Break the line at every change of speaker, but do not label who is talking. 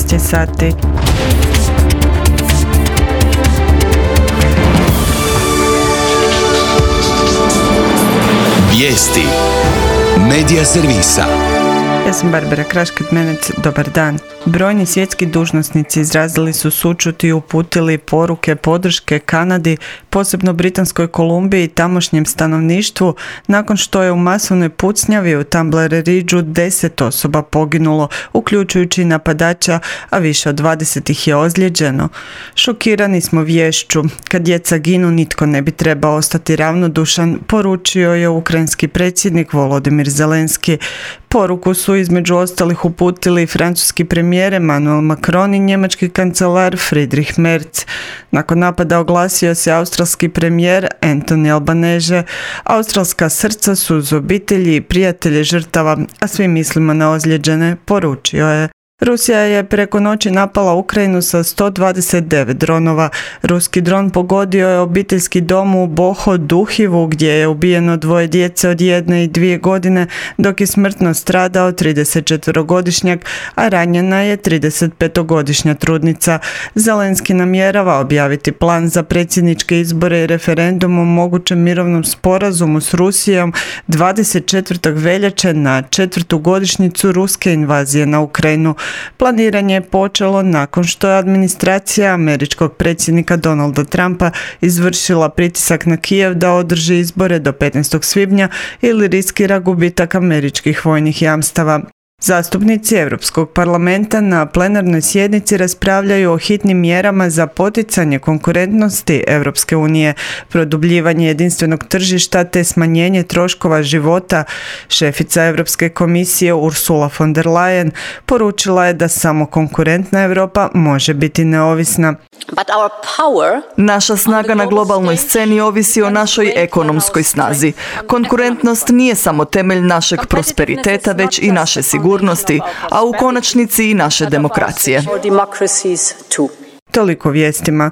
19 sati.
Vijesti Medija servisa.
Ja sam Barbara Krašket-Menec, dobar dan. Brojni svjetski dužnosnici izrazili su sućut i uputili poruke podrške Kanadi, posebno Britanskoj Kolumbiji i tamošnjem stanovništvu, nakon što je u masovnoj pucnjavi u Tumbler Ridgeu 10 osoba poginulo, uključujući napadača, a više od 20 ih je ozlijeđeno. Šokirani smo viješću. Kad djeca ginu, nitko ne bi trebao ostati ravnodušan, poručio je ukrajinski predsjednik Volodimir Zelenski. Poruku su između ostalih uputili francuski premijer Emmanuel Macron i njemački kancelar Friedrich Merz. Nakon napada oglasio se australski premijer Anthony Albanese. Australska srca su uz obitelji i prijatelje žrtava, a svi mislimo na ozlijeđene, poručio je. Rusija je preko noći napala Ukrajinu sa 129 dronova. Ruski dron pogodio je obiteljski dom u Boho-Duhivu gdje je ubijeno 2 djece od 1 i 2 godine, dok je smrtno stradao 34-godišnjak, a ranjena je 35-godišnja trudnica. Zelenski namjerava objaviti plan za predsjedničke izbore i referendum o mogućem mirovnom sporazumu s Rusijom 24. veljače na 4. godišnjicu ruske invazije na Ukrajinu. Planiranje je počelo nakon što je administracija američkog predsjednika Donalda Trumpa izvršila pritisak na Kijev da održi izbore do 15. svibnja ili riskira gubitak američkih vojnih jamstava. Zastupnici Europskog parlamenta na plenarnoj sjednici raspravljaju o hitnim mjerama za poticanje konkurentnosti Europske unije, produbljivanje jedinstvenog tržišta te smanjenje troškova života. Šefica Europske komisije Ursula von der Leyen poručila je da samo konkurentna Europa može biti neovisna.
Naša snaga na globalnoj sceni ovisi o našoj ekonomskoj snazi. Konkurentnost nije samo temelj našeg prosperiteta, već i naše sigurnosti, a u konačnici i naše demokracije.
Toliko vijestima.